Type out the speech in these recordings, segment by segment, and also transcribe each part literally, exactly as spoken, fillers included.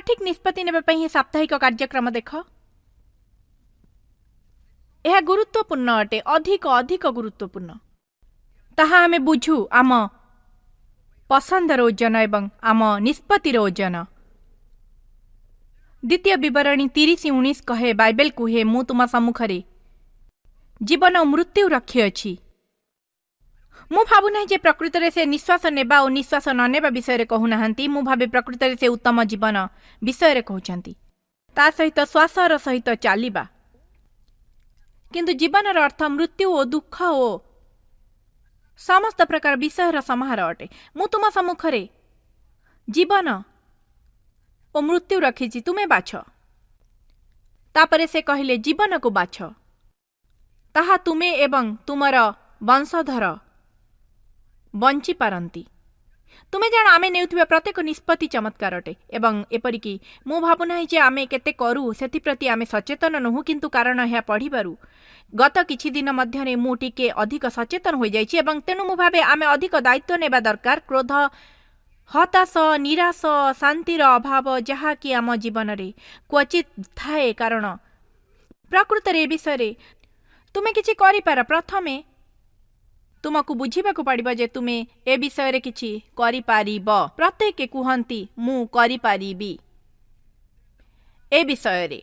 ସଠିକ୍ ନିଷ୍ପତ୍ତି ନେବା ପାଇଁ ଏହି ସାପ୍ତାହିକ କାର୍ଯ୍ୟକ୍ରମ ଦେଖ। ଏହା ଗୁରୁତ୍ୱପୂର୍ଣ୍ଣ ଅଟେ, ଅଧିକ ଅଧିକ ଗୁରୁତ୍ୱପୂର୍ଣ୍ଣ। ତାହା ଆମେ ବୁଝୁ ଆମ ପସନ୍ଦର ଓଜନ ଏବଂ ଆମ ନିଷ୍ପତ୍ତିର ଓଜନ। ଦ୍ୱିତୀୟ ବିବରଣୀ ତିରିଶ ଉଣେଇଶ କହେ, ବାଇବେଲ କୁହେ, ମୁଁ ତୁମ ସମ୍ମୁଖରେ ଜୀବନ ଓ ମୃତ୍ୟୁ ରଖିଅଛି। ମୁଁ ଭାବୁନାହିଁ ଯେ ପ୍ରକୃତରେ ସେ ନିଶ୍ୱାସ ନେବା ଓ ନିଶ୍ୱାସ ନ ନେବା ବିଷୟରେ କହୁନାହାନ୍ତି। ମୁଁ ଭାବେ ପ୍ରକୃତରେ ସେ ଉତ୍ତମ ଜୀବନ ବିଷୟରେ କହୁଛନ୍ତି, ତା ସହିତ ଶ୍ୱାସର ସହିତ ଚାଲିବା। କିନ୍ତୁ ଜୀବନର ଅର୍ଥ ମୃତ୍ୟୁ ଓ ଦୁଃଖ ଓ ସମସ୍ତ ପ୍ରକାର ବିଷୟର ସମାହାର ଅଟେ। ମୁଁ ତୁମ ସମ୍ମୁଖରେ ଜୀବନ ଓ ମୃତ୍ୟୁ ରଖିଛି, ତୁମେ ବାଛ। ତାପରେ ସେ କହିଲେ, ଜୀବନକୁ ବାଛ, ତାହା ତୁମେ ଏବଂ ତୁମର ବଂଶଧର ବଞ୍ଚିପାରନ୍ତି। ତୁମେ ଜାଣ, ଆମେ ନେଉଥିବା ପ୍ରତ୍ୟେକ ନିଷ୍ପତ୍ତି ଚମତ୍କାର ଅଟେ ଏବଂ ଏପରିକି ମୁଁ ଭାବୁନାହିଁ ଯେ ଆମେ କେତେ କରୁ ସେଥିପ୍ରତି ଆମେ ସଚେତନ ନୋହୁଁ, କିନ୍ତୁ କାରଣ ଏହା ପଢ଼ିବାରୁ ଗତ କିଛି ଦିନ ମଧ୍ୟରେ ମୁଁ ଟିକେ ଅଧିକ ସଚେତନ ହୋଇଯାଇଛି ଏବଂ ତେଣୁ ମୁଁ ଭାବେ ଆମେ ଅଧିକ ଦାୟିତ୍ୱ ନେବା ଦରକାର। କ୍ରୋଧ, ହତାଶ, ନିରାଶ, ଶାନ୍ତିର ଅଭାବ ଯାହାକି ଆମ ଜୀବନରେ କ୍ୱଚିତ୍ ଥାଏ, କାରଣ ପ୍ରକୃତରେ ଏ ବିଷୟରେ ତୁମେ କିଛି କରିପାର। ପ୍ରଥମେ ତୁମକୁ ବୁଝିବାକୁ ପଡ଼ିବ ଯେ ତୁମେ ଏ ବିଷୟରେ କିଛି କରିପାରିବ। ପ୍ରତ୍ୟେକ କୁହନ୍ତି ମୁଁ କରିପାରିବି ଏ ବିଷୟରେ,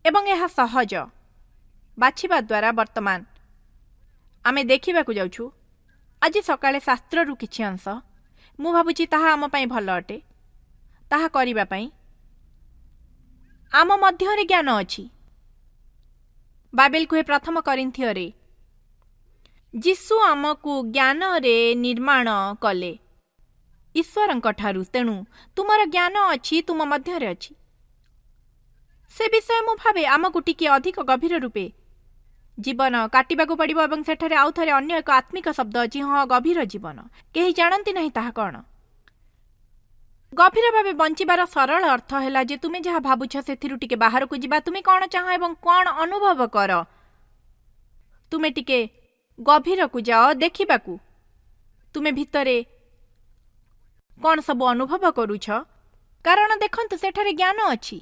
ଏବଂ ଏହା ସହଜ ବାଛିବା ଦ୍ୱାରା। ବର୍ତ୍ତମାନ ଆମେ ଦେଖିବାକୁ ଯାଉଛୁ ଆଜି ସକାଳେ ଶାସ୍ତ୍ରରୁ କିଛି ଅଂଶ। ମୁଁ ଭାବୁଛି ତାହା ଆମ ପାଇଁ ଭଲ ଅଟେ। ତାହା କରିବା ପାଇଁ ଆମ ମଧ୍ୟରେ ଜ୍ଞାନ ଅଛି। ବାଇବେଲ କୁହେ ପ୍ରଥମ କରିନ୍ଥୀୟରେ, ଯୀଶୁ ଆମକୁ ଜ୍ଞାନରେ ନିର୍ମାଣ କଲେ ଈଶ୍ୱରଙ୍କ ଠାରୁ। ତେଣୁ ତୁମର ଜ୍ଞାନ ଅଛି, ତୁମ ମଧ୍ୟରେ ଅଛି। ସେ ବିଷୟ ମୁଁ ଭାବେ ଆମକୁ ଟିକିଏ ଅଧିକ ଗଭୀର ରୂପେ ଜୀବନ କାଟିବାକୁ ପଡ଼ିବ। ଏବଂ ସେଠାରେ ଆଉ ଥରେ ଅନ୍ୟ ଏକ ଆତ୍ମିକ ଶବ୍ଦ ଅଛି, ହଁ, ଗଭୀର ଜୀବନ। କେହି ଜାଣନ୍ତି ନାହିଁ ତାହା କ'ଣ। ଗଭୀର ଭାବେ ବଞ୍ଚିବାର ସରଳ ଅର୍ଥ ହେଲା ଯେ ତୁମେ ଯାହା ଭାବୁଛ ସେଥିରୁ ଟିକେ ବାହାରକୁ ଯିବା। ତୁମେ କ'ଣ ଚାହଁ ଏବଂ କ'ଣ ଅନୁଭବ କର, ତୁମେ ଟିକେ ଗଭୀରକୁ ଯାଅ ଦେଖିବାକୁ ତୁମେ ଭିତରେ କ'ଣ ସବୁ ଅନୁଭବ କରୁଛ। କାରଣ ଦେଖନ୍ତୁ, ସେଠାରେ ଜ୍ଞାନ ଅଛି।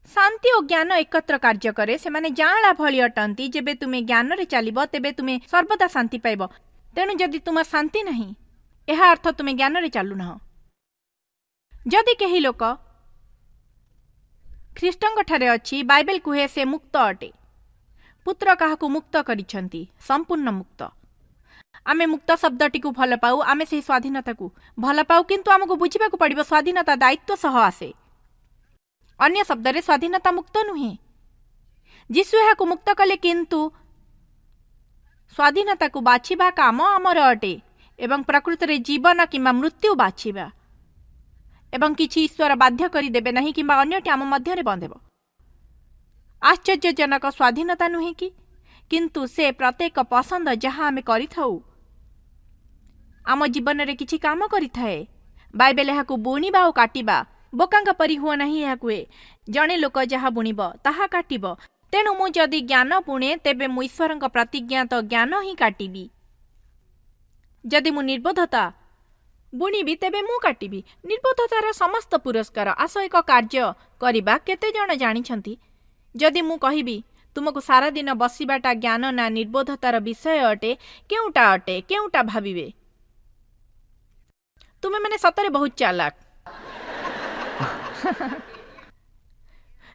ଶାନ୍ତି ଓ ଜ୍ଞାନ ଏକତ୍ର କାର୍ଯ୍ୟ କରେ। ସେମାନେ ଯାଆଁଳା ଭଳି ଅଟନ୍ତି। ଯେବେ ତୁମେ ଜ୍ଞାନରେ ଚାଲିବ ତେବେ ତୁମେ ସର୍ବଦା ଶାନ୍ତି ପାଇବ। ତେଣୁ ଯଦି ତୁମ ଶାନ୍ତି ନାହିଁ, ଏହା ଅର୍ଥ ତୁମେ ଜ୍ଞାନରେ ଚାଲୁନାହଁ। ଯଦି କେହି ଲୋକ ଖ୍ରୀଷ୍ଟଙ୍କଠାରେ ଅଛି, ବାଇବେଲ କୁହେ ସେ ମୁକ୍ତ ଅଟେ। ପୁତ୍ର କାହାକୁ ମୁକ୍ତ କରିଛନ୍ତି? ସମ୍ପୂର୍ଣ୍ଣ ମୁକ୍ତ। ଆମେ ମୁକ୍ତ ଶବ୍ଦଟିକୁ ଭଲ ପାଉ, ଆମେ ସେହି ସ୍ୱାଧୀନତାକୁ ଭଲ ପାଉ, କିନ୍ତୁ ଆମକୁ ବୁଝିବାକୁ ପଡ଼ିବ ସ୍ୱାଧୀନତା ଦାୟିତ୍ୱ ସହ ଆସେ। ଅନ୍ୟ ଶବ୍ଦରେ ସ୍ୱାଧୀନତା ମୁକ୍ତ ନୁହେଁ। ଯୀଶୁ ଏହାକୁ ମୁକ୍ତ କଲେ, କିନ୍ତୁ ସ୍ୱାଧୀନତାକୁ ବାଛିବା କାମ ଆମର ଅଟେ ଏବଂ ପ୍ରକୃତରେ ଜୀବନ କିମ୍ବା ମୃତ୍ୟୁ ବାଛିବା। ଏବଂ କିଛି ଈଶ୍ୱର ବାଧ୍ୟ କରିଦେବେ ନାହିଁ କିମ୍ବା ଅନ୍ୟଟି ଆମ ମଧ୍ୟରେ ବନ୍ଦ ହେବ। ଆଶ୍ଚର୍ଯ୍ୟଜନକ ସ୍ୱାଧୀନତା ନୁହେଁ କି? କିନ୍ତୁ ସେ ପ୍ରତ୍ୟେକ ପସନ୍ଦ ଯାହା ଆମେ କରିଥାଉ ଆମ ଜୀବନରେ କିଛି କାମ କରିଥାଏ। ବାଇବେଲ ଏହାକୁ ବୁଣିବା ଓ କାଟିବା, ବୋକାଙ୍କ ପରି ହୁଅ ନାହିଁ ଏହା କୁହେ। ଜଣେ ଲୋକ ଯାହା ବୁଣିବ ତାହା କାଟିବ। ତେଣୁ ମୁଁ ଯଦି ଜ୍ଞାନ ବୁଣେ ତେବେ ମୁଁ ଈଶ୍ୱରଙ୍କ ପ୍ରତିଜ୍ଞାତ ଜ୍ଞାନ ହିଁ କାଟିବି। ଯଦି ମୁଁ ନିର୍ବୋଧତା ବୁଣିବି ତେବେ ମୁଁ କାଟିବି ନିର୍ବୋଧତାର ସମସ୍ତ ପୁରସ୍କାର। ଆସ ଏକ କାର୍ଯ୍ୟ କରିବା। କେତେ ଜଣ ଜାଣିଛନ୍ତି ଯଦି ମୁଁ କହିବି ତୁମକୁ ସାରାଦିନ ବସିବାଟା ଜ୍ଞାନ ନା ନିର୍ବୋଧତାର ବିଷୟ ଅଟେ, କେଉଁଟା ଅଟେ? କେଉଁଟା ଭାବିବେ? ତୁମେମାନେ ସତରେ ବହୁତ ଚାଲାକ।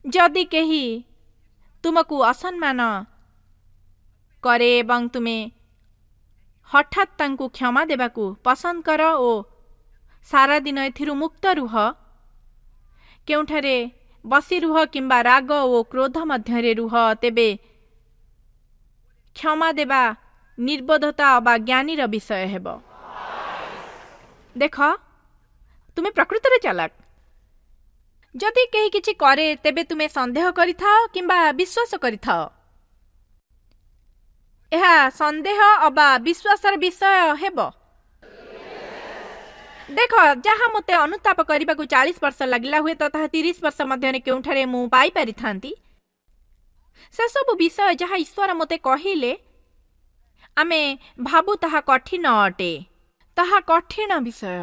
ଯଦି କେହି ତୁମକୁ ଅସମ୍ମାନ କରେ ଏବଂ ତୁମେ ହଠାତ୍ ତାଙ୍କୁ କ୍ଷମା ଦେବାକୁ ପସନ୍ଦ କର ଓ ସାରାଦିନ ଏଥିରୁ ମୁକ୍ତ ରୁହ, କେଉଁଠାରେ ବସି ରୁହ କିମ୍ବା ରାଗ ଓ କ୍ରୋଧ ମଧ୍ୟରେ ରୁହ, ତେବେ କ୍ଷମା ଦେବା ନିର୍ବୋଧତା ଅବା ଜ୍ଞାନୀର ବିଷୟ ହେବ। ଦେଖ, ତୁମେ ପ୍ରକୃତରେ ଚାଲାକ। ଯଦି କେହି କିଛି କରେ ତେବେ ତୁମେ ସନ୍ଦେହ କରିଥାଅ କିମ୍ବା ବିଶ୍ୱାସ କରିଥାଅ। ଏହା ସନ୍ଦେହ ଅବା ବିଶ୍ୱାସର ବିଷୟ ହେବ। ଦେଖ, ଯାହା ମୋତେ ଅନୁତାପ କରିବାକୁ ଚାଳିଶ ବର୍ଷ ଲାଗିଲା, ହୁଏତ ତାହା ତିରିଶ ବର୍ଷ ମଧ୍ୟରେ କେଉଁଠାରେ ମୁଁ ପାଇପାରିଥାନ୍ତି। ସେସବୁ ବିଷୟ ଯାହା ଈଶ୍ୱର ମୋତେ କହିଲେ, ଆମେ ଭାବୁ ତାହା କଠିନ ଅଟେ। ତାହା କଠିନ ବିଷୟ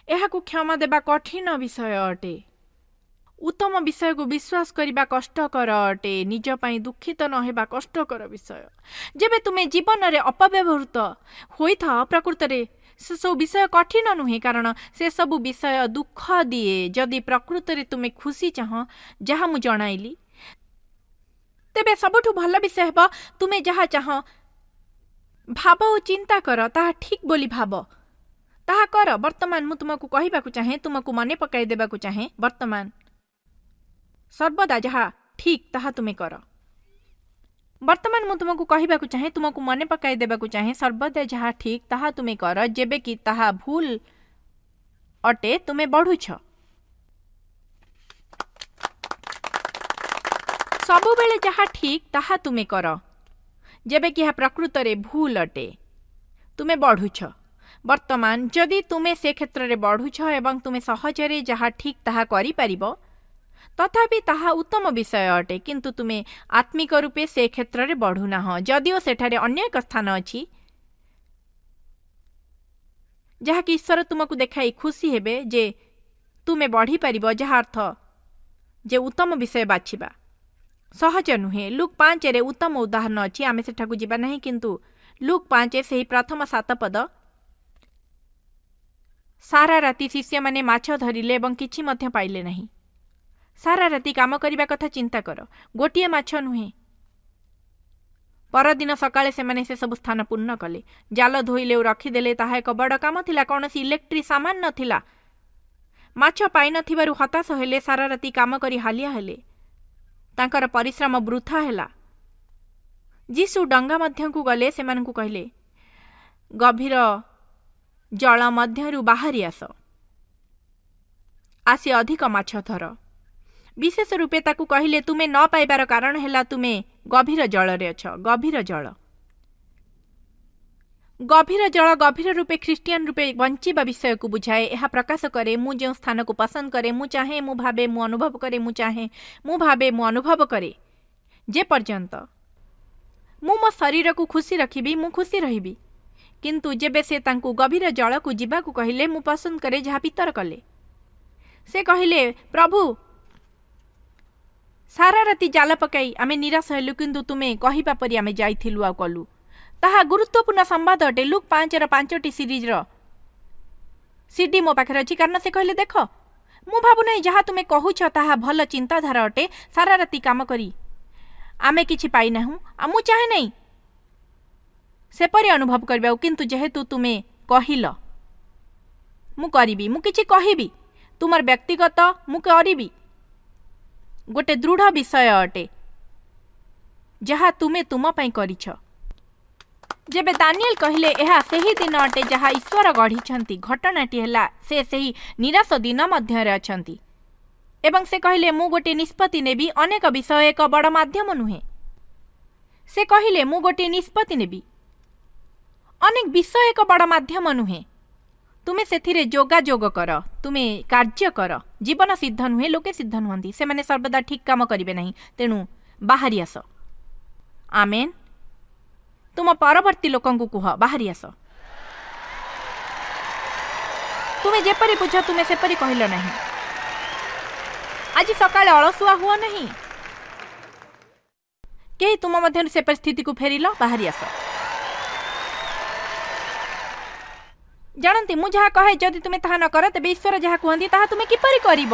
ଏହାକୁ କ୍ଷମା ଦେବା କଠିନ ବିଷୟ ଅଟେ। ଉତ୍ତମ ବିଷୟକୁ ବିଶ୍ୱାସ କରିବା କଷ୍ଟକର ଅଟେ। ନିଜ ପାଇଁ ଦୁଃଖିତ ନ ହେବା କଷ୍ଟକର ବିଷୟ। ଯେବେ ତୁମେ ଜୀବନରେ ଅପବ୍ୟବହୃତ ହୋଇଥାଅ, ପ୍ରକୃତରେ ସେସବୁ ବିଷୟ କଠିନ ନୁହେଁ, କାରଣ ସେସବୁ ବିଷୟ ଦୁଃଖ ଦିଏ। ଯଦି ପ୍ରକୃତରେ ତୁମେ ଖୁସି ଚାହଁ, ଯାହା ମୁଁ ଜଣାଇଲି, ତେବେ ସବୁଠୁ ଭଲ ବିଷୟ ହେବ ତୁମେ ଯାହା ଚାହଁ ଭାବ ଓ ଚିନ୍ତା କର, ତାହା ଠିକ୍ ବୋଲି ଭାବ, ତାହା କର। ବର୍ତ୍ତମାନ ମୁଁ ତୁମକୁ କହିବାକୁ ଚାହେଁ, ତୁମକୁ ମନେ ପକାଇ ଦେବାକୁ ଚାହେଁ, ବର୍ତ୍ତମାନ ସର୍ବଦା ଯାହା ଠିକ୍ ତାହା ତୁମେ କର। ବର୍ତ୍ତମାନ ମୁଁ ତୁମକୁ କହିବାକୁ ଚାହେଁ, ତୁମକୁ ମନେ ପକାଇ ଦେବାକୁ ଚାହେଁ, ସର୍ବଦା ଯାହା ଠିକ୍ ତାହା ତୁମେ କର। ଯେବେ କି ତାହା ଭୁଲ ଅଟେ, ତୁମେ ବଢ଼ୁଛ। ସବୁବେଳେ ଯାହା ଠିକ୍ ତାହା ତୁମେ କର, ଯେବେ କି ଏହା ପ୍ରକୃତରେ ଭୁଲ ଅଟେ, ତୁମେ ବଢ଼ୁଛ। ବର୍ତ୍ତମାନ ଯଦି ତୁମେ ସେ କ୍ଷେତ୍ରରେ ବଢ଼ୁଛ ଏବଂ ତୁମେ ସହଜରେ ଯାହା ଠିକ୍ ତାହା କରିପାରିବ, ତଥାପି ତାହା ଉତ୍ତମ ବିଷୟ ଅଟେ, କିନ୍ତୁ ତୁମେ ଆତ୍ମିକ ରୂପେ ସେ କ୍ଷେତ୍ରରେ ବଢ଼ୁନାହଁ। ଯଦିଓ ସେଠାରେ ଅନ୍ୟ ଏକ ସ୍ଥାନ ଅଛି ଯାହାକି ଈଶ୍ୱର ତୁମକୁ ଦେଖାଇ ଖୁସି ହେବେ ଯେ ତୁମେ ବଢ଼ିପାରିବ, ଯାହା ଅର୍ଥ ଯେ ଉତ୍ତମ ବିଷୟ ବାଛିବା ସହଜ ନୁହେଁ। ଲୁକ୍ ପାଞ୍ଚରେ ଉତ୍ତମ ଉଦାହରଣ ଅଛି, ଆମେ ସେଠାକୁ ଯିବା ନାହିଁ, କିନ୍ତୁ ଲୁକ୍ ପାଞ୍ଚ ସେହି ପ୍ରଥମ ସାତ ପଦ, ସାରା ରାତି ଶିଷ୍ୟମାନେ ମାଛ ଧରିଲେ ଏବଂ କିଛି ମଧ୍ୟ ପାଇଲେ ନାହିଁ। ସାରା ରାତି କାମ କରିବା କଥା ଚିନ୍ତା କର, ଗୋଟିଏ ମାଛ ନୁହେଁ। ପରଦିନ ସକାଳେ ସେମାନେ ସେସବୁ ସ୍ଥାନ ପୂର୍ଣ୍ଣ କଲେ, ଜାଲ ଧୋଇଲେ ଓ ରଖିଦେଲେ। ତାହା ଏକ ବଡ଼ କାମ ଥିଲା, କୌଣସି ଇଲେକ୍ଟ୍ରିକ୍ ସାମାନ ନଥିଲା। ମାଛ ପାଇନଥିବାରୁ ହତାଶ ହେଲେ, ସାରା ରାତି କାମ କରି ହାଲିଆ ହେଲେ, ତାଙ୍କର ପରିଶ୍ରମ ବୃଥା ହେଲା। ଯୀଶୁ ଡଙ୍ଗା ମଧ୍ୟକୁ ଗଲେ, ସେମାନଙ୍କୁ କହିଲେ, ଗଭୀର ଜଳ ମଧ୍ୟରୁ ବାହାରି ଆସ, ଆସି ଅଧିକ ମାଛ ଧର। ବିଶେଷ ରୂପେ ତାକୁ କହିଲେ, ତୁମେ ନ ପାଇବାର କାରଣ ହେଲା ତୁମେ ଗଭୀର ଜଳରେ ଅଛ। ଗଭୀର ଜଳ, ଗଭୀର ଜଳ ଗଭୀର ରୂପେ ଖ୍ରୀଷ୍ଟିଆନ ରୂପେ ବଞ୍ଚିବା ବିଷୟକୁ ବୁଝାଏ। ଏହା ପ୍ରକାଶ କରେ ମୁଁ ଯେଉଁ ସ୍ଥାନକୁ ପସନ୍ଦ କରେ, ମୁଁ ଚାହେଁ, ମୁଁ ଭାବେ, ମୁଁ ଅନୁଭବ କରେ, ମୁଁ ଚାହେଁ, ମୁଁ ଭାବେ, ମୁଁ ଅନୁଭବ କରେ। ଯେ ପର୍ଯ୍ୟନ୍ତ ମୁଁ ମୋ ଶରୀରକୁ ଖୁସି ରଖିବି, ମୁଁ ଖୁସି ରହିବି। କିନ୍ତୁ ଯେବେ ସେ ତାଙ୍କୁ ଗଭୀର ଜଳକୁ ଯିବାକୁ କହିଲେ, ମୁଁ ପସନ୍ଦ କରେ ଯାହା ପିତର କଲେ। ସେ କହିଲେ, ପ୍ରଭୁ, ସାରା ରାତି ଜାଲ ପକାଇ ଆମେ ନିରାଶ ହେଲୁ, କିନ୍ତୁ ତୁମେ କହିବା ପରି ଆମେ ଯାଇଥିଲୁ ଆଉ କଲୁ। ତାହା ଗୁରୁତ୍ୱପୂର୍ଣ୍ଣ ସମ୍ବାଦ ଅଟେ। ଲୁକ୍ ପାଞ୍ଚର ପାଞ୍ଚଟି ସିରିଜ୍ର ସିଡି ମୋ ପାଖରେ ଅଛି, କାରଣ ସେ କହିଲେ, ଦେଖ, ମୁଁ ଭାବୁନାହିଁ ଯାହା ତୁମେ କହୁଛ ତାହା ଭଲ ଚିନ୍ତାଧାରା ଅଟେ। ସାରା ରାତି କାମ କରି ଆମେ କିଛି ପାଇନାହୁଁ, ଆଉ ମୁଁ ଚାହେଁ ନାହିଁ ସେପରି ଅନୁଭବ କରିବାକୁ, କିନ୍ତୁ ଯେହେତୁ ତୁମେ କହିଲ ମୁଁ କରିବି, ମୁଁ କିଛି କହିବି, ତୁମର ବ୍ୟକ୍ତିଗତ ମୁଁ କରିବି। ଗୋଟେ ଦୃଢ଼ ବିଷୟ ଅଟେ ଯାହା ତୁମେ ତୁମ ପାଇଁ କରିଛ। ଯେବେ ଦାନିଏଲ କହିଲେ, ଏହା ସେହି ଦିନ ଅଟେ ଯାହା ଈଶ୍ୱର ଗଢ଼ିଛନ୍ତି, ଘଟଣାଟି ହେଲା ସେ ସେହି ନିରାଶ ଦିନ ମଧ୍ୟରେ ଅଛନ୍ତି। ଏବଂ ସେ କହିଲେ, ମୁଁ ଗୋଟିଏ ନିଷ୍ପତ୍ତି ନେବି। ଅନେକ ବିଷୟ ଏକ ବଡ଼ ମାଧ୍ୟମ ନୁହେଁ। ସେ କହିଲେ, ମୁଁ ଗୋଟିଏ ନିଷ୍ପତ୍ତି ନେବି। ଅନେକ ବିଷୟ ଏକ ବଡ଼ ମାଧ୍ୟମ ନୁହେଁ। ତୁମେ ସେଥିରେ ଯୋଗାଯୋଗ କର, ତୁମେ କାର୍ଯ୍ୟ କର। ଜୀବନ ସିଦ୍ଧ ନୁହେଁ, ଲୋକେ ସିଦ୍ଧ ନୁହନ୍ତି, ସେମାନେ ସର୍ବଦା ଠିକ୍ କାମ କରିବେ ନାହିଁ, ତେଣୁ ବାହାରି ଆସ। ଆମେନ୍। ତୁମ ପରବର୍ତ୍ତୀ ଲୋକଙ୍କୁ କୁହ, ବାହାରି ଆସ। ତୁମେ ଯେପରି ବୁଝ ତୁମେ ସେପରି କହିଲ ନାହିଁ। ଆଜି ସକାଳେ ଅଳସୁଆ ହୁଅ ନାହିଁ। କେହି ତୁମ ମଧ୍ୟରୁ ସେପରି ସ୍ଥିତିକୁ ଫେରିଲ, ବାହାରି ଆସ। ଜାଣନ୍ତି, ମୁଁ ଯାହା କହେ ଯଦି ତୁମେ ତାହା ନ କର, ତେବେ ଈଶ୍ୱର ଯାହା କୁହନ୍ତି ତାହା ତୁମେ କିପରି କରିବ?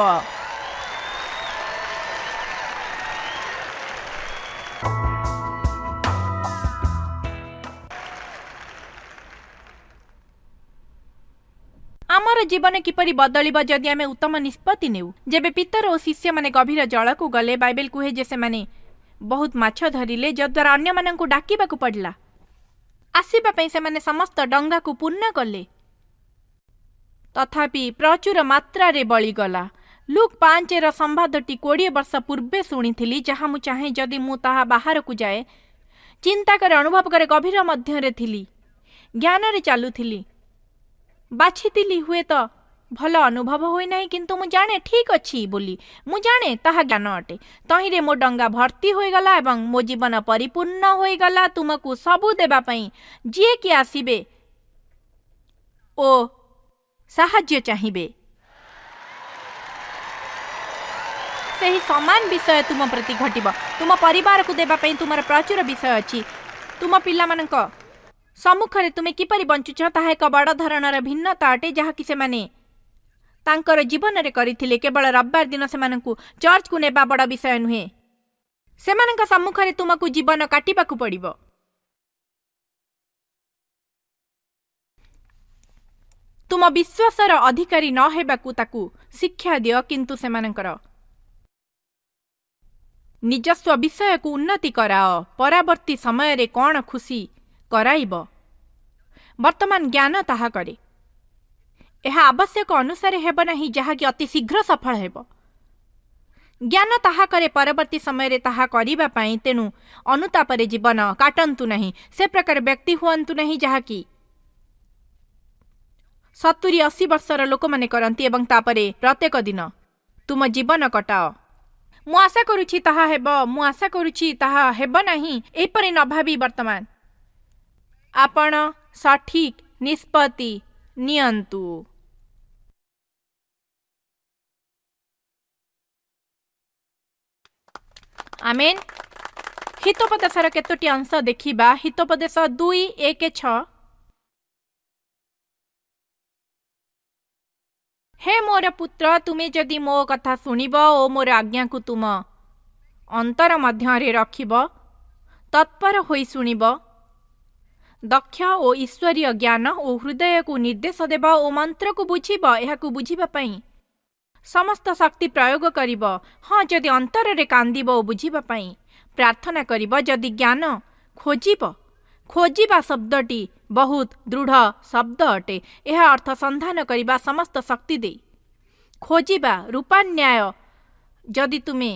ଆମର ଜୀବନ କିପରି ବଦଳିବ ଯଦି ଆମେ ଉତ୍ତମ ନିଷ୍ପତ୍ତି ନେଉ? ଯେବେ ପିତର ଓ ଶିଷ୍ୟମାନେ ଗଭୀର ଜଳକୁ ଗଲେ, ବାଇବେଲ କୁହେ ଯେ ସେମାନେ ବହୁତ ମାଛ ଧରିଲେ, ଯଦ୍ୱାରା ଅନ୍ୟମାନଙ୍କୁ ଡାକିବାକୁ ପଡ଼ିଲା ଆସିବା ପାଇଁ। ସେମାନେ ସମସ୍ତ ଡଙ୍ଗାକୁ ପୂର୍ଣ୍ଣ କଲେ, ତଥାପି ପ୍ରଚୁର ମାତ୍ରାରେ ବଳିଗଲା। ଲୁକ୍ ପାଞ୍ଚର ସମ୍ବାଦଟି କୋଡ଼ିଏ ବର୍ଷ ପୂର୍ବେ ଶୁଣିଥିଲି, ଯାହା ମୁଁ ଚାହେଁ ଯଦି ମୁଁ ତାହା ବାହାରକୁ ଯାଏ। ଚିନ୍ତା କରେ, ଅନୁଭବ କରେ, ଗଭୀର ମଧ୍ୟରେ ଥିଲି, ଜ୍ଞାନରେ ଚାଲୁଥିଲି, ବାଛିଥିଲି। ହୁଏତ ଭଲ ଅନୁଭବ ହୋଇନାହିଁ, କିନ୍ତୁ ମୁଁ ଜାଣେ ଠିକ୍ ଅଛି ବୋଲି। ମୁଁ ଜାଣେ ତାହା ଜ୍ଞାନ ଅଟେ। ତହିଁରେ ମୋ ଡଙ୍ଗା ଭର୍ତ୍ତି ହୋଇଗଲା ଏବଂ ମୋ ଜୀବନ ପରିପୂର୍ଣ୍ଣ ହୋଇଗଲା ତୁମକୁ ସବୁ ଦେବା ପାଇଁ। ଯିଏକି ଆସିବେ ଓ ସାହାଯ୍ୟ ଚାହିଁବେ। ସେହି ସମାନ ବିଷୟ ତୁମ ପ୍ରତି ଘଟିବ। ତୁମ ପରିବାରକୁ ଦେବା ପାଇଁ ତୁମର ପ୍ରଚୁର ବିଷୟ ଅଛି। ତୁମ ପିଲାମାନଙ୍କ ସମ୍ମୁଖରେ ତୁମେ କିପରି ବଞ୍ଚୁଛ ତାହା ଏକ ବଡ଼ ଧରଣର ଭିନ୍ନତା ଅଟେ, ଯାହାକି ସେମାନେ ତାଙ୍କର ଜୀବନରେ କରିଥିଲେ। କେବଳ ରବିବାର ଦିନ ସେମାନଙ୍କୁ ଚର୍ଚ୍ଚକୁ ନେବା ବଡ଼ ବିଷୟ ନୁହେଁ, ସେମାନଙ୍କ ସମ୍ମୁଖରେ ତୁମକୁ ଜୀବନ କାଟିବାକୁ ପଡ଼ିବ। ତୁମ ବିଶ୍ୱାସର ଅଧିକାରୀ ନ ହେବାକୁ ତାକୁ ଶିକ୍ଷା ଦିଅ, କିନ୍ତୁ ସେମାନଙ୍କର ନିଜସ୍ୱ ବିଷୟକୁ ଉନ୍ନତି କରାଅ। ପରବର୍ତ୍ତୀ ସମୟରେ କ'ଣ ଖୁସି କରାଇବ, ବର୍ତ୍ତମାନ ଜ୍ଞାନ ତାହା କରେ। ଏହା ଆବଶ୍ୟକ ଅନୁସାରେ ହେବ ନାହିଁ, ଯାହାକି ଅତି ଶୀଘ୍ର ସଫଳ ହେବ। ଜ୍ଞାନ ତାହା କରେ ପରବର୍ତ୍ତୀ ସମୟରେ ତାହା କରିବା ପାଇଁ। ତେଣୁ ଅନୁତାପରେ ଜୀବନ କାଟନ୍ତୁ ନାହିଁ। ସେ ପ୍ରକାର ବ୍ୟକ୍ତି ହୁଅନ୍ତୁ ନାହିଁ ଯାହାକି ସତୁରି ଅଶୀ ବର୍ଷର ଲୋକମାନେ କରନ୍ତି, ଏବଂ ତାପରେ ପ୍ରତ୍ୟେକ ଦିନ ତୁମ ଜୀବନ କଟାଅ। ମୁଁ ଆଶା କରୁଛି ତାହା ହେବ, ମୁଁ ଆଶା କରୁଛି ତାହା ହେବ ନାହିଁ, ଏପରି ନ ଭାବି ବର୍ତ୍ତମାନ ଆପଣ ସଠିକ୍ ନିଷ୍ପତ୍ତି ନିଅନ୍ତୁ। ଆମେନ୍। ହିତୋପଦେଶର କେତୋଟି ଅଂଶ ଦେଖିବା। ହିତୋପଦେଶ ଦୁଇ ଏକ ଛଅ। ହେ ମୋର ପୁତ୍ର, ତୁମେ ଯଦି ମୋ କଥା ଶୁଣିବ ଓ ମୋର ଆଜ୍ଞାକୁ ତୁମ ଅନ୍ତର ମଧ୍ୟରେ ରଖିବ, ତତ୍ପର ହୋଇ ଶୁଣିବ, ଦକ୍ଷ ଓ ଈଶ୍ୱରୀୟ ଜ୍ଞାନ ଓ ହୃଦୟକୁ ନିର୍ଦ୍ଦେଶ ଦେବ ଓ ମନ୍ତ୍ରକୁ ବୁଝିବ, ଏହାକୁ ବୁଝିବା ପାଇଁ ସମସ୍ତ ଶକ୍ତି ପ୍ରୟୋଗ କରିବ। ହଁ, ଯଦି ଅନ୍ତରରେ କାନ୍ଦିବ ଓ ବୁଝିବା ପାଇଁ ପ୍ରାର୍ଥନା କରିବ, ଯଦି ଜ୍ଞାନ ଖୋଜିବ। ଖୋଜିବା ଶବ୍ଦଟି ବହୁତ ଦୃଢ଼ ଶବ୍ଦ ଅଟେ। ଏହା ଅର୍ଥ ସନ୍ଧାନ କରିବା ସମସ୍ତ ଶକ୍ତି ଦେଇ ଖୋଜିବା, ରୂପାନ୍ୟାୟ। ଯଦି ତୁମେ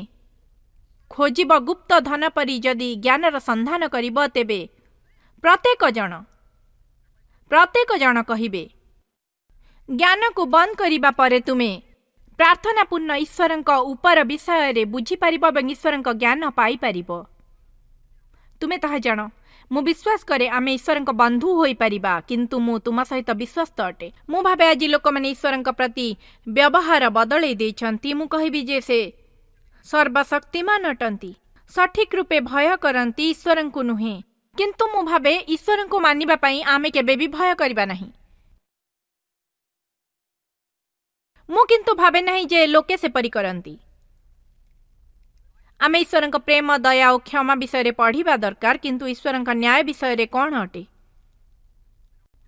ଖୋଜିବ ଗୁପ୍ତ ଧନ ପରି, ଯଦି ଜ୍ଞାନର ସନ୍ଧାନ କରିବ, ତେବେ ପ୍ରତ୍ୟେକ ଜଣ ପ୍ରତ୍ୟେକ ଜଣ କହିବେ। ଜ୍ଞାନକୁ ବନ୍ଦ କରିବା ପରେ ତୁମେ ପ୍ରାର୍ଥନାପୂର୍ଣ୍ଣ ଈଶ୍ୱରଙ୍କ ଉପର ବିଷୟରେ ବୁଝିପାରିବ ଏବଂ ଈଶ୍ୱରଙ୍କ ଜ୍ଞାନ ପାଇପାରିବ। ତୁମେ ତାହା ଜାଣ। ମୁଁ ବିଶ୍ୱାସ କରେ ଆମେ ଈଶ୍ୱରଙ୍କ ବନ୍ଧୁ ହୋଇପାରିବା, କିନ୍ତୁ ମୁଁ ତୁମ ସହିତ ବିଶ୍ୱସ୍ତ ଅଟେ। ମୁଁ ଭାବେ ଆଜି ଲୋକମାନେ ଈଶ୍ୱରଙ୍କ ପ୍ରତି ବ୍ୟବହାର ବଦଳେଇ ଦେଇଛନ୍ତି। ମୁଁ କହିବି ଯେ ସେ ସର୍ବଶକ୍ତିମାନ ଅଟନ୍ତି, ସଠିକ୍ ରୂପେ ଭୟ କରନ୍ତି, ଈଶ୍ୱରଙ୍କୁ ନୁହେଁ। କିନ୍ତୁ ମୁଁ ଭାବେ ଈଶ୍ୱରଙ୍କୁ ମାନିବା ପାଇଁ ଆମେ କେବେ ବି ଭୟ କରିବା ନାହିଁ। ମୁଁ କିନ୍ତୁ ଭାବେ ନାହିଁ ଯେ ଲୋକେ ସେପରି କରନ୍ତି। ଆମେ ଈଶ୍ୱରଙ୍କ ପ୍ରେମ, ଦୟା ଓ କ୍ଷମା ବିଷୟରେ ପଢ଼ିବା ଦରକାର, କିନ୍ତୁ ଈଶ୍ୱରଙ୍କ ନ୍ୟାୟ ବିଷୟରେ କ'ଣ ଅଟେ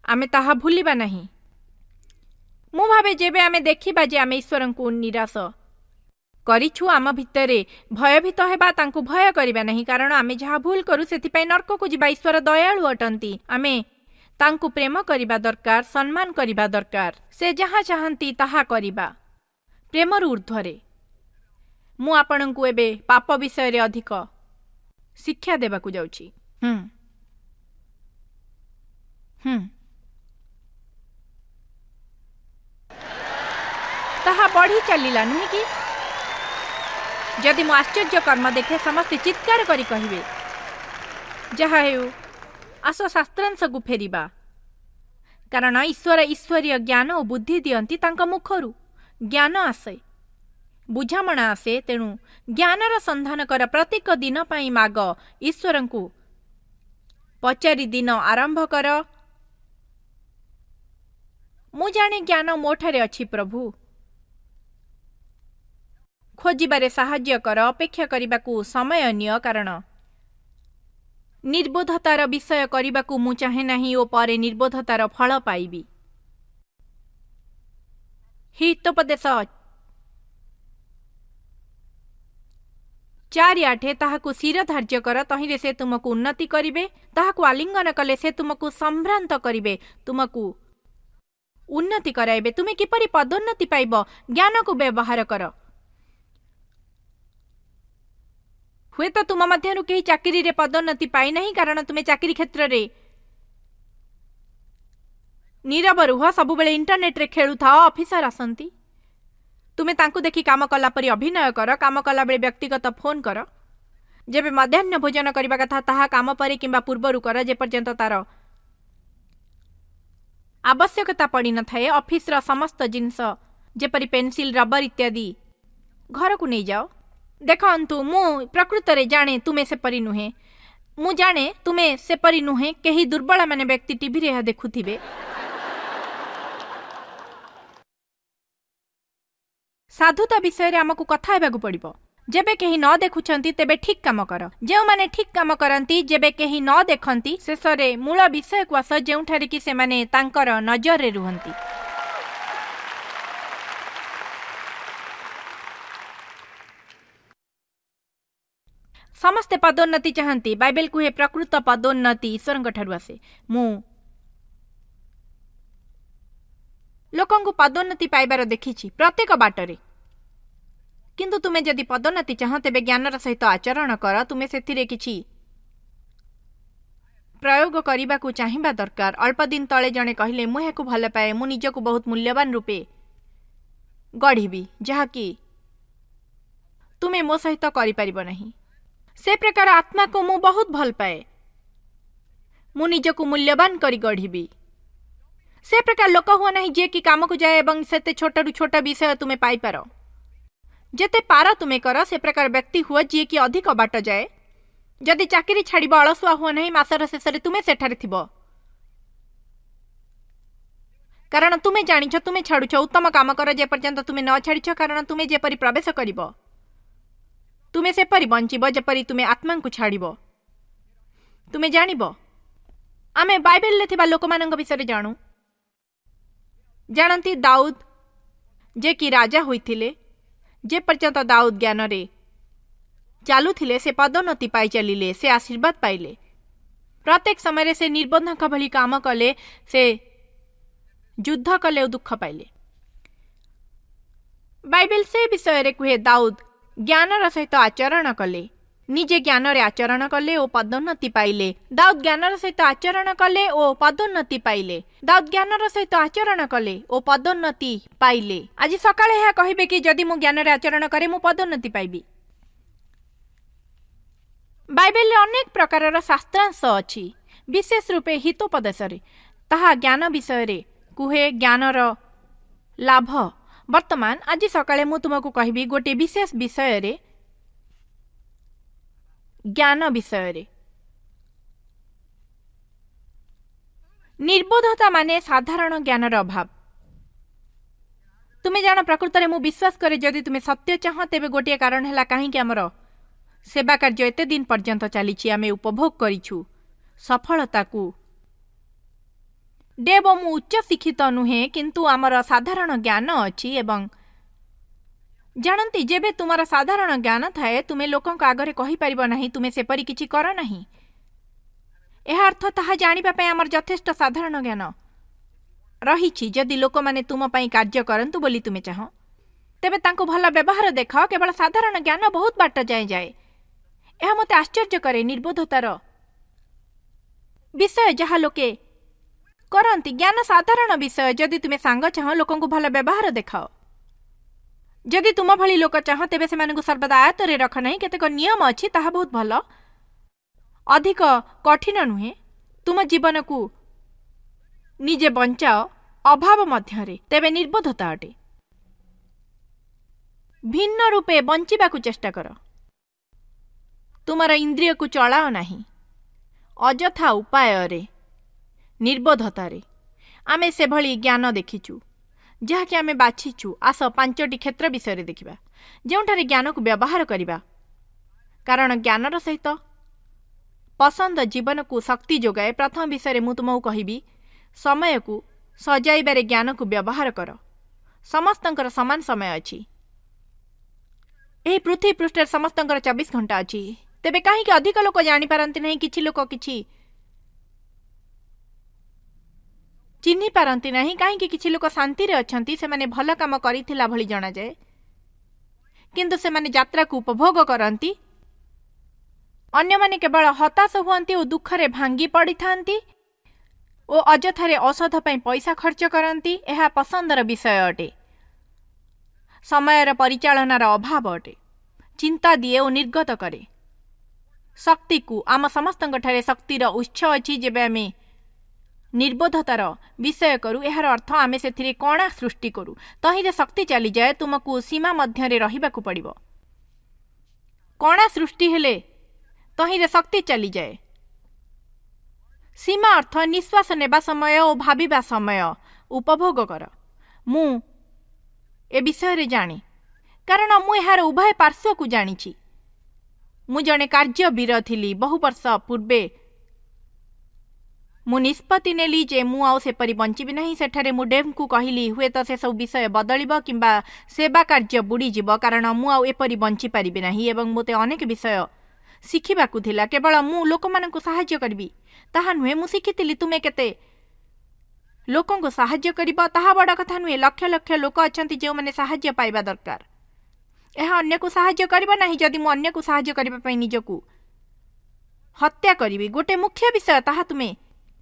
ଆମେ ତାହା ଭୁଲିବା ନାହିଁ। ମୁଁ ଭାବେ ଯେବେ ଆମେ ଦେଖିବା ଯେ ଆମେ ଈଶ୍ୱରଙ୍କୁ ନିରାଶ କରିଛୁ, ଆମ ଭିତରେ ଭୟଭୀତ ହେବା, ତାଙ୍କୁ ଭୟ କରିବା ନାହିଁ, କାରଣ ଆମେ ଯାହା ଭୁଲ କରୁ ସେଥିପାଇଁ ନର୍କକୁ ଯିବା। ଈଶ୍ୱର ଦୟାଳୁ ଅଟନ୍ତି। ଆମେ ତାଙ୍କୁ ପ୍ରେମ କରିବା ଦରକାର, ସମ୍ମାନ କରିବା ଦରକାର, ସେ ଯାହା ଚାହାନ୍ତି ତାହା କରିବା, ପ୍ରେମରୁ ଊର୍ଦ୍ଧ୍ୱରେ। ମୁଁ ଆପଣଙ୍କୁ ଏବେ ପାପ ବିଷୟରେ ଅଧିକ ଶିକ୍ଷା ଦେବାକୁ ଯାଉଛି। ହୁଁ ହୁଁ ତାହା ବଢ଼ି ଚାଲିଲା, ନୁହେଁ କି? ଯଦି ମୁଁ ଆଶ୍ଚର୍ଯ୍ୟ କର୍ମ ଦେଖେ, ସମସ୍ତେ ଚିତ୍କାର କରି କହିବେ। ଯାହା ହେଉ, ଆସ ଶାସ୍ତ୍ରାଂଶକୁ ଫେରିବା। କାରଣ ଈଶ୍ୱର ଈଶ୍ୱରୀୟ ଜ୍ଞାନ ଓ ବୁଦ୍ଧି ଦିଅନ୍ତି। ତାଙ୍କ ମୁଖରୁ ଜ୍ଞାନ ଆସେ, ବୁଝାମଣା ଆସେ। ତେଣୁ ଜ୍ଞାନର ସନ୍ଧାନ କର। ପ୍ରତ୍ୟେକ ଦିନ ପାଇଁ ମାଗ, ଈଶ୍ୱରଙ୍କୁ ପଚାରି ଦିନ ଆରମ୍ଭ କର। ମୁଁ ଜାଣେ ଜ୍ଞାନ ମୋଠାରେ ଅଛି ପ୍ରଭୁ, ଖୋଜିବାରେ ସାହାଯ୍ୟ କର। ଅପେକ୍ଷା କରିବାକୁ ସମୟ ନିଅ, କାରଣ ନିର୍ବୋଧତାର ବିଷୟ କରିବାକୁ ମୁଁ ଚାହେଁ ନାହିଁ ଓ ପରେ ନିର୍ବୋଧତାର ଫଳ ପାଇବି। ହିତୋପଦେଶ ଚାରି ଆଠ, ତାହାକୁ ଶିର ଧାର୍ଯ୍ୟ କର, ତହିଁରେ ସେ ତୁମକୁ ଉନ୍ନତି କରିବେ। ତାହାକୁ ଆଲିଙ୍ଗନ କଲେ ସେ ତୁମକୁ ସମ୍ଭ୍ରାନ୍ତ କରିବେ, ତୁମକୁ ଉନ୍ନତି କରାଇବେ। ତୁମେ କିପରି ପଦୋନ୍ନତି ପାଇବ? ଜ୍ଞାନକୁ ବ୍ୟବହାର କର। ହୁଏତ ତୁମ ମଧ୍ୟରୁ କେହି ଚାକିରିରେ ପଦୋନ୍ନତି ପାଇନାହିଁ, କାରଣ ତୁମେ ଚାକିରି କ୍ଷେତ୍ରରେ ନୀରବ ରୁହ, ସବୁବେଳେ ଇଣ୍ଟରନେଟ୍ରେ ଖେଳୁଥାଅ। ଅଫିସର ଆସନ୍ତି, ତୁମେ ତାଙ୍କୁ ଦେଖି କାମ କଲା ପରି ଅଭିନୟ କର। କାମ କଲାବେଳେ ବ୍ୟକ୍ତିଗତ ଫୋନ୍ କର। ଯେବେ ମଧ୍ୟାହ୍ନ ଭୋଜନ କରିବା କଥା ତାହା କାମ ପରେ କିମ୍ବା ପୂର୍ବରୁ କର, ଯେପର୍ଯ୍ୟନ୍ତ ତାର ଆବଶ୍ୟକତା ପଡ଼ିନଥାଏ। ଅଫିସର ସମସ୍ତ ଜିନିଷ ଯେପରି ପେନ୍ସିଲ୍, ରବର ଇତ୍ୟାଦି ଘରକୁ ନେଇଯାଅ। ଦେଖନ୍ତୁ, ମୁଁ ପ୍ରକୃତରେ ଜାଣେ ତୁମେ ସେପରି ନୁହେଁ। ମୁଁ ଜାଣେ ତୁମେ ସେପରି ନୁହେଁ। କେହି ଦୁର୍ବଳ ମାନେ ବ୍ୟକ୍ତି ଟିଭିରେ ଏହା ଦେଖୁଥିବେ। ସାଧୁତା ବିଷୟରେ ଆମକୁ କଥା ହେବାକୁ ପଡ଼ିବ। ଯେବେ କେହି ନ ଦେଖୁଛନ୍ତି ତେବେ ଠିକ୍ କାମ କର। ଯେଉଁମାନେ ଠିକ୍ କାମ କରନ୍ତି ଯେବେ କେହି ନ ଦେଖନ୍ତି, ଶେଷରେ ମୂଳ ବିଷୟକୁ ଆସ ଯେଉଁଠାରେ କି ସେମାନେ ତାଙ୍କର ନଜରରେ ରୁହନ୍ତି। ସମସ୍ତେ ପଦୋନ୍ନତି ଚାହାନ୍ତି। ବାଇବେଲ କୁହେ ପ୍ରକୃତ ପଦୋନ୍ନତି ଈଶ୍ୱରଙ୍କ ଠାରୁ ଆସେ। ମୁଁ ଲୋକଙ୍କୁ ପଦୋନ୍ନତି ପାଇବାର ଦେଖିଛି ପ୍ରତ୍ୟେକ ବାଟରେ। କିନ୍ତୁ ତୁମେ ଯଦି ପଦୋନ୍ନତି ଚାହଁ ତେବେ ଜ୍ଞାନର ସହିତ ଆଚରଣ କର। ତୁମେ ସେଥିରେ କିଛି ପ୍ରୟୋଗ କରିବାକୁ ଚାହିଁବା ଦରକାର। ଅଳ୍ପ ଦିନ ତଳେ ଜଣେ କହିଲେ, ମୁଁ ଏହାକୁ ଭଲ ପାଏ, ମୁଁ ନିଜକୁ ବହୁତ ମୂଲ୍ୟବାନ ରୂପେ ଗଢ଼ିବି, ଯାହାକି ତୁମେ ମୋ ସହିତ କରିପାରିବ ନାହିଁ। ସେ ପ୍ରକାର ଆତ୍ମାକୁ ମୁଁ ବହୁତ ଭଲ ପାଏ। ମୁଁ ନିଜକୁ ମୂଲ୍ୟବାନ କରି ଗଢ଼ିବି। ସେ ପ୍ରକାର ଲୋକ ହୁଅ ନାହିଁ ଯିଏକି କାମକୁ ଯାଏ ଏବଂ ସେତେ ଛୋଟରୁ ଛୋଟ ବିଷୟ ତୁମେ ପାଇପାର। ଯେତେ ପାର ତୁମେ କର, ସେ ପ୍ରକାର ବ୍ୟକ୍ତି ହୁଅ ଯିଏକି ଅଧିକ ବାଟ ଯାଏ। ଯଦି ଚାକିରି ଛାଡ଼ିବ ଅଳସୁଆ ହୁଅ ନାହିଁ। ମାସର ଶେଷରେ ତୁମେ ସେଠାରେ ଥିବ, କାରଣ ତୁମେ ଜାଣିଛ ତୁମେ ଛାଡ଼ୁଛ। ଉତ୍ତମ କାମ କର ଯେପର୍ଯ୍ୟନ୍ତ ତୁମେ ନ ଛାଡ଼ିଛ, କାରଣ ତୁମେ ଯେପରି ପ୍ରବେଶ କରିବ ତୁମେ ସେପରି ବଞ୍ଚିବ ଯେପରି ତୁମେ ଆତ୍ମାଙ୍କୁ ଛାଡ଼ିବ। ତୁମେ ଜାଣିବ, ଆମେ ବାଇବେଲରେ ଥିବା ଲୋକମାନଙ୍କ ବିଷୟରେ ଜାଣୁ। ଜାଣନ୍ତି ଦାଉଦ ଯେ କି ରାଜା ହୋଇଥିଲେ, ଯେପର୍ଯ୍ୟନ୍ତ ଦାଉଦ ଜ୍ଞାନରେ ଚାଲୁଥିଲେ ସେ ପଦୋନ୍ନତି ପାଇ ଚାଲିଲେ, ସେ ଆଶୀର୍ବାଦ ପାଇଲେ। ପ୍ରତ୍ୟେକ ସମୟରେ ସେ ନିର୍ବନ୍ଧଙ୍କ ଭଳି କାମ କଲେ, ସେ ଯୁଦ୍ଧ କଲେ ଓ ଦୁଃଖ ପାଇଲେ। ବାଇବେଲ ସେ ବିଷୟରେ କୁହେ ଦାଉଦ ଜ୍ଞାନର ସହିତ ଆଚରଣ କଲେ, ନିଜେ ଜ୍ଞାନରେ ଆଚରଣ କଲେ ଓ ପଦୋନ୍ନତି ପାଇଲେ। ଦାଉଦ ଜ୍ଞାନର ସହିତ ଆଚରଣ କଲେ ଓ ପଦୋନ୍ନତି ପାଇଲେ। ଦାଉଦ ଜ୍ଞାନର ସହିତ ଆଚରଣ କଲେ ଓ ପଦୋନ୍ନତି ପାଇଲେ। ଆଜି ସକାଳେ ଏହା କହିବେ କି ଯଦି ମୁଁ ଜ୍ଞାନରେ ଆଚରଣ କରେ ମୁଁ ପଦୋନ୍ନତି ପାଇବି। ବାଇବେଲରେ ଅନେକ ପ୍ରକାରର ଶାସ୍ତ୍ରାଂଶ ଅଛି, ବିଶେଷ ରୂପେ ହିତୋପଦେଶରେ। ତାହା ଜ୍ଞାନ ବିଷୟରେ କୁହେ, ଜ୍ଞାନର ଲାଭ। ବର୍ତ୍ତମାନ ଆଜି ସକାଳେ ମୁଁ ତୁମକୁ କହିବି ଗୋଟିଏ ବିଶେଷ ବିଷୟରେ, ଜ୍ଞାନ ବିଷୟରେ। ନିର୍ବୋଧତା ମାନେ ସାଧାରଣ ଜ୍ଞାନର ଅଭାବ। ତୁମେ ଜାଣ, ପ୍ରକୃତରେ ମୁଁ ବିଶ୍ୱାସ କରେ ଯଦି ତୁମେ ସତ୍ୟ ଚାହଁ ତେବେ ଗୋଟିଏ କାରଣ ହେଲା କାହିଁକି ଆମର ସେବା କାର୍ଯ୍ୟ ଏତେ ଦିନ ପର୍ଯ୍ୟନ୍ତ ଚାଲିଛି, ଆମେ ଉପଭୋଗ କରିଛୁ ସଫଳତାକୁ। ଦେବ, ମୁଁ ଉଚ୍ଚ ଶିକ୍ଷିତ ନୁହେଁ, କିନ୍ତୁ ଆମର ସାଧାରଣ ଜ୍ଞାନ ଅଛି। ଏବଂ ଜାଣନ୍ତି, ଯେବେ ତୁମର ସାଧାରଣ ଜ୍ଞାନ ଥାଏ ତୁମେ ଲୋକଙ୍କ ଆଗରେ କହିପାରିବ ନାହିଁ ତୁମେ ସେପରି କିଛି କର ନାହିଁ। ଏହା ଅର୍ଥ ତାହା ଜାଣିବା ପାଇଁ ଆମର ଯଥେଷ୍ଟ ସାଧାରଣ ଜ୍ଞାନ ରହିଛି। ଯଦି ଲୋକମାନେ ତୁମ ପାଇଁ କାର୍ଯ୍ୟ କରନ୍ତୁ ବୋଲି ତୁମେ ଚାହଁ ତେବେ ତାଙ୍କୁ ଭଲ ବ୍ୟବହାର ଦେଖାଅ। କେବଳ ସାଧାରଣ ଜ୍ଞାନ ବହୁତ ବାଟ ଯାଏଁ ଯାଏ। ଏହା ମୋତେ ଆଶ୍ଚର୍ଯ୍ୟ କରେ, ନିର୍ବୋଧତାର ବିଷୟ ଯାହା ଲୋକେ କରନ୍ତି। ଜ୍ଞାନ ସାଧାରଣ ବିଷୟ। ଯଦି ତୁମେ ସାଙ୍ଗ ଚାହଁ ଲୋକଙ୍କୁ ଭଲ ବ୍ୟବହାର ଦେଖାଅ। ଯଦି ତୁମ ଭଳି ଲୋକ ଚାହଁ ତେବେ ସେମାନଙ୍କୁ ସର୍ବଦା ଆୟତରେ ରଖ ନାହିଁ। କେତେକ ନିୟମ ଅଛି, ତାହା ବହୁତ ଭଲ, ଅଧିକ କଠିନ ନୁହେଁ। ତୁମ ଜୀବନକୁ ନିଜେ ବଞ୍ଚାଅ ଅଭାବ ମଧ୍ୟରେ, ତେବେ ନିର୍ବୋଧତା ଅଟେ। ଭିନ୍ନ ରୂପେ ବଞ୍ଚିବାକୁ ଚେଷ୍ଟା କର। ତୁମର ଇନ୍ଦ୍ରିୟକୁ ଚଳାଅ ନାହିଁ ଅଯଥା ଉପାୟରେ, ନିର୍ବୋଧତାରେ। ଆମେ ସେଭଳି ଜ୍ଞାନ ଦେଖିଛୁ ଯାହାକି ଆମେ ବାଛିଛୁ। ଆସ ପାଞ୍ଚଟି କ୍ଷେତ୍ର ବିଷୟରେ ଦେଖିବା ଯେଉଁଠାରେ ଜ୍ଞାନକୁ ବ୍ୟବହାର କରିବା, କାରଣ ଜ୍ଞାନର ସହିତ ପସନ୍ଦ ଜୀବନକୁ ଶକ୍ତି ଯୋଗାଏ। ପ୍ରଥମ ବିଷୟରେ ମୁଁ ତୁମକୁ କହିବି, ସମୟକୁ ସଜାଇବାରେ ଜ୍ଞାନକୁ ବ୍ୟବହାର କର। ସମସ୍ତଙ୍କର ସମାନ ସମୟ ଅଛି। ଏହି ପୃଥିବୀ ପୃଷ୍ଠରେ ସମସ୍ତଙ୍କର ଚବିଶ ଘଣ୍ଟା ଅଛି। ତେବେ କାହିଁକି ଅଧିକ ଲୋକ ଜାଣିପାରନ୍ତି ନାହିଁ? କିଛି ଲୋକ କିଛି ଚିହ୍ନି ପାରନ୍ତି ନାହିଁ। କାହିଁକି କିଛି ଲୋକ ଶାନ୍ତିରେ ଅଛନ୍ତି? ସେମାନେ ଭଲ କାମ କରିଥିଲା ଭଳି ଜଣାଯାଏ, କିନ୍ତୁ ସେମାନେ ଯାତ୍ରାକୁ ଉପଭୋଗ କରନ୍ତି। ଅନ୍ୟମାନେ କେବଳ ହତାଶ ହୁଅନ୍ତି ଓ ଦୁଃଖରେ ଭାଙ୍ଗି ପଡ଼ିଥାନ୍ତି ଓ ଅଯଥାରେ ଔଷଧ ପାଇଁ ପଇସା ଖର୍ଚ୍ଚ କରନ୍ତି। ଏହା ପସନ୍ଦର ବିଷୟ ଅଟେ। ସମୟର ପରିଚାଳନାର ଅଭାବ ଅଟେ। ଚିନ୍ତା ଦିଏ ଓ ନିର୍ଗତ କରେ ଶକ୍ତିକୁ। ଆମ ସମସ୍ତଙ୍କଠାରେ ଶକ୍ତିର ଉତ୍ସ ଅଛି ଯେବେ ଆମେ ନିର୍ବୋଧତାର ବିଷୟ କରୁ, ଏହାର ଅର୍ଥ ଆମେ ସେଥିରେ କଣା ସୃଷ୍ଟି କରୁ। ତହିଁରେ ଶକ୍ତି ଚାଲିଯାଏ। ତୁମକୁ ସୀମା ମଧ୍ୟରେ ରହିବାକୁ ପଡ଼ିବ। କଣା ସୃଷ୍ଟି ହେଲେ ତହିଁରେ ଶକ୍ତି ଚାଲିଯାଏ। ସୀମା ଅର୍ଥ ନିଶ୍ୱାସ ନେବା ସମୟ ଓ ଭାବିବା ସମୟ ଉପଭୋଗ କର। ମୁଁ ଏ ବିଷୟରେ ଜାଣେ, କାରଣ ମୁଁ ଏହାର ଉଭୟ ପାର୍ଶ୍ୱକୁ ଜାଣିଛି। ମୁଁ ଜଣେ କାର୍ଯ୍ୟବୀର ଥିଲି ବହୁ ବର୍ଷ ପୂର୍ବେ। ମୁଁ ନିଷ୍ପତ୍ତି ନେଲି ଯେ ମୁଁ ଆଉ ସେପରି ବଞ୍ଚିବି ନାହିଁ। ସେଠାରେ ମୁଁ ଡେଭ୍ଙ୍କୁ କହିଲି, ହୁଏତ ସେସବୁ ବିଷୟ ବଦଳିବ କିମ୍ବା ସେବା କାର୍ଯ୍ୟ ବୁଡ଼ିଯିବ, କାରଣ ମୁଁ ଆଉ ଏପରି ବଞ୍ଚିପାରିବି ନାହିଁ ଏବଂ ମୋତେ ଅନେକ ବିଷୟ ଶିଖିବାକୁ ଥିଲା। କେବଳ ମୁଁ ଲୋକମାନଙ୍କୁ ସାହାଯ୍ୟ କରିବି ତାହା ନୁହେଁ, ମୁଁ ଶିଖିଥିଲି ତୁମେ କେତେ ଲୋକଙ୍କୁ ସାହାଯ୍ୟ କରିବ ତାହା ବଡ଼ କଥା ନୁହେଁ। ଲକ୍ଷ ଲକ୍ଷ ଲୋକ ଅଛନ୍ତି ଯେଉଁମାନେ ସାହାଯ୍ୟ ପାଇବା ଦରକାର। ଏହା ଅନ୍ୟକୁ ସାହାଯ୍ୟ କରିବ ନାହିଁ ଯଦି ମୁଁ ଅନ୍ୟକୁ ସାହାଯ୍ୟ କରିବା ପାଇଁ ନିଜକୁ ହତ୍ୟା କରିବି। ଗୋଟେ ମୁଖ୍ୟ ବିଷୟ, ତାହା ତୁମେ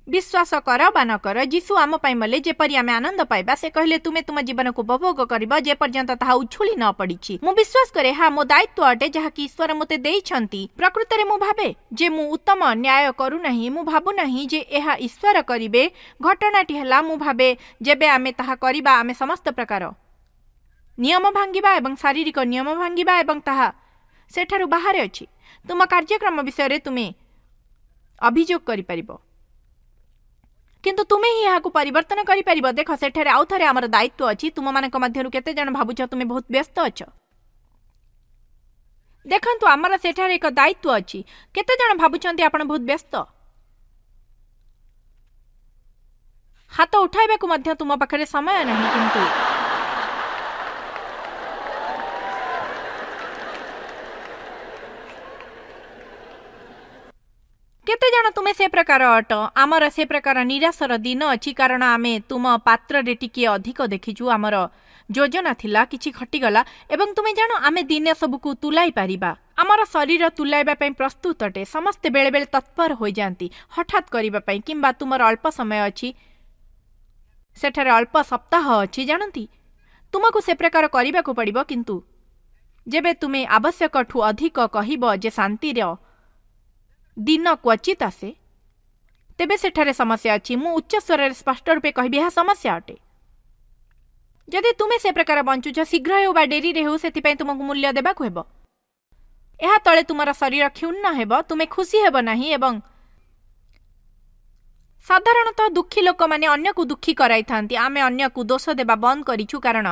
ବିଶ୍ୱାସ କର ବା ନ କର, ଯୀଶୁ ଆମ ପାଇଁ ମଲେ ଯେପରି ଆମେ ଆନନ୍ଦ ପାଇବା। ସେ କହିଲେ, ତୁମେ ତୁମ ଜୀବନକୁ ଉପଭୋଗ କରିବ ଯେପର୍ଯ୍ୟନ୍ତ ତାହା ଉଛୁଳି ନ ପଡ଼ିଛି। ମୁଁ ବିଶ୍ୱାସ କରେ ଏହା ମୋ ଦାୟିତ୍ୱ ଅଟେ, ଯାହାକି ଈଶ୍ୱର ମୋତେ ଦେଇଛନ୍ତି। ପ୍ରକୃତରେ ମୁଁ ଭାବେ ଯେ ମୁଁ ଉତ୍ତମ ନ୍ୟାୟ କରୁନାହିଁ। ମୁଁ ଭାବୁନାହିଁ ଯେ ଏହା ଈଶ୍ୱର କରିବେ। ଘଟଣାଟି ହେଲା, ମୁଁ ଭାବେ ଯେବେ ଆମେ ତାହା କରିବା, ଆମେ ସମସ୍ତ ପ୍ରକାର ନିୟମ ଭାଙ୍ଗିବା ଏବଂ ଶାରୀରିକ ନିୟମ ଭାଙ୍ଗିବା, ଏବଂ ତାହା ସେଠାରୁ ବାହାରେ ଅଛି। ତୁମ କାର୍ଯ୍ୟକ୍ରମ ବିଷୟରେ ତୁମେ ଅଭିଯୋଗ କରିପାରିବ, କିନ୍ତୁ ତୁମେ ହିଁ ଏହାକୁ ପରିବର୍ତ୍ତନ କରିପାରିବ। ଦେଖ, ସେଠାରେ ଆଉ ଥରେ ଆମର ଦାୟିତ୍ୱ ଅଛି। ତୁମମାନଙ୍କ ମଧ୍ୟରୁ କେତେ ଜଣ ଭାବୁଛ ତୁମେ ବହୁତ ବ୍ୟସ୍ତ ଅଛ? ଦେଖନ୍ତୁ, ଆମର ସେଠାରେ ଏକ ଦାୟିତ୍ୱ ଅଛି। କେତେ ଜଣ ଭାବୁଛନ୍ତି ଆପଣ ବହୁତ ବ୍ୟସ୍ତ? ହାତ ଉଠାଇବାକୁ ମଧ୍ୟ ତୁମ ପାଖରେ ସମୟ ନାହିଁ, କିନ୍ତୁ କେତେ ଜଣ ତୁମେ ସେ ପ୍ରକାର ଅଟ? ଆମର ସେ ପ୍ରକାର ନିରାଶର ଦିନ ଅଛି, କାରଣ ଆମେ ତୁମ ପାତ୍ରରେ ଟିକିଏ ଅଧିକ ଦେଖିଛୁ। ଆମର ଯୋଜନା ଥିଲା, କିଛି ଘଟିଗଲା, ଏବଂ ତୁମେ ଜାଣ ଆମେ ଦିନେ ସବୁକୁ ତୁଲାଇ ପାରିବା। ଆମର ଶରୀର ତୁଲାଇବା ପାଇଁ ପ୍ରସ୍ତୁତ ଅଟେ। ସମସ୍ତେ ବେଳେବେଳେ ତତ୍ପର ହୋଇଯାଆନ୍ତି ହଠାତ୍ କରିବା ପାଇଁ, କିମ୍ବା ତୁମର ଅଳ୍ପ ସମୟ ଅଛି, ସେଠାରେ ଅଳ୍ପ ସପ୍ତାହ ଅଛି। ଜାଣନ୍ତି, ତୁମକୁ ସେ ପ୍ରକାର କରିବାକୁ ପଡ଼ିବ। କିନ୍ତୁ ଯେବେ ତୁମେ ଆବଶ୍ୟକଠୁ ଅଧିକ କହିବ ଯେ ଶାନ୍ତିର ଦିନ କ୍ୱଚିତ ଆସେ, ତେବେ ସେଠାରେ ସମସ୍ୟା ଅଛି। ମୁଁ ଉଚ୍ଚ ସ୍ୱରରେ ସ୍ପଷ୍ଟ ରୂପେ କହିବି, ଏହା ସମସ୍ୟା ଅଟେ। ଯଦି ତୁମେ ସେ ପ୍ରକାର ବଞ୍ଚୁଛ, ଶୀଘ୍ର ହେଉ ବା ଡେରିରେ ହେଉ, ସେଥିପାଇଁ ତୁମକୁ ମୂଲ୍ୟ ଦେବାକୁ ହେବ। ଏହା ତଳେ ତୁମର ଶରୀର କ୍ଷୁଣ୍ଣ ହେବ, ତୁମେ ଖୁସି ହେବ ନାହିଁ। ଏବଂ ସାଧାରଣତଃ ଦୁଃଖୀ ଲୋକମାନେ ଅନ୍ୟକୁ ଦୁଃଖୀ କରାଇଥାନ୍ତି। ଆମେ ଅନ୍ୟକୁ ଦୋଷ ଦେବା ବନ୍ଦ କରିଛୁ, କାରଣ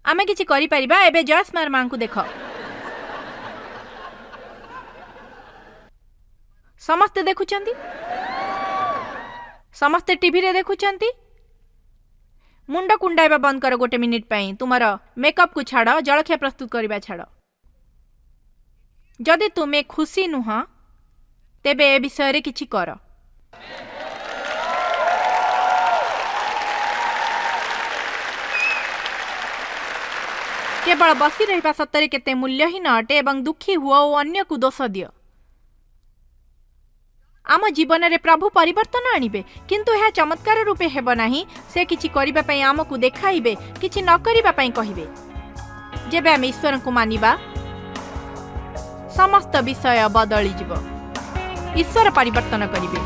ଆମେ କିଛି କରିପାରିବା। ଏବେ ଜୟସ୍ମାର ମାଙ୍କୁ ଦେଖ। ସମସ୍ତେ ଦେଖୁଛନ୍ତି, ସମସ୍ତେ ଟିଭିରେ ଦେଖୁଛନ୍ତି। ମୁଣ୍ଡ କୁଣ୍ଡାଇବା ବନ୍ଦ କର ଗୋଟେ ମିନିଟ୍ ପାଇଁ। ତୁମର ମେକଅପ୍କୁ ଛାଡ଼, ଜଳଖିଆ ପ୍ରସ୍ତୁତ କରିବା ଛାଡ଼। ଯଦି ତୁମେ ଖୁସି ନୁହଁ, ତେବେ ଏ ବିଷୟରେ କିଛି କର। କେବଳ ବସି ରହିବା ସତରେ କେତେ ମୂଲ୍ୟହୀନ ଅଟେ। ଏବଂ ଦୁଃଖୀ ହୁଅ ଓ ଅନ୍ୟକୁ ଦୋଷ ଦିଅ। ଆମ ଜୀବନରେ ପ୍ରଭୁ ପରିବର୍ତ୍ତନ ଆଣିବେ, କିନ୍ତୁ ଏହା ଚମତ୍କାର ରୂପେ ହେବ ନାହିଁ। ସେ କିଛି କରିବା ପାଇଁ ଆମକୁ ଦେଖାଇବେ, କିଛି ନ କରିବା ପାଇଁ କହିବେ। ଯେବେ ଆମେ ଈଶ୍ୱରଙ୍କୁ ମାନିବା, ସମସ୍ତ ବିଷୟ ବଦଳିଯିବ। ଈଶ୍ୱର ପରିବର୍ତ୍ତନ କରିବେ।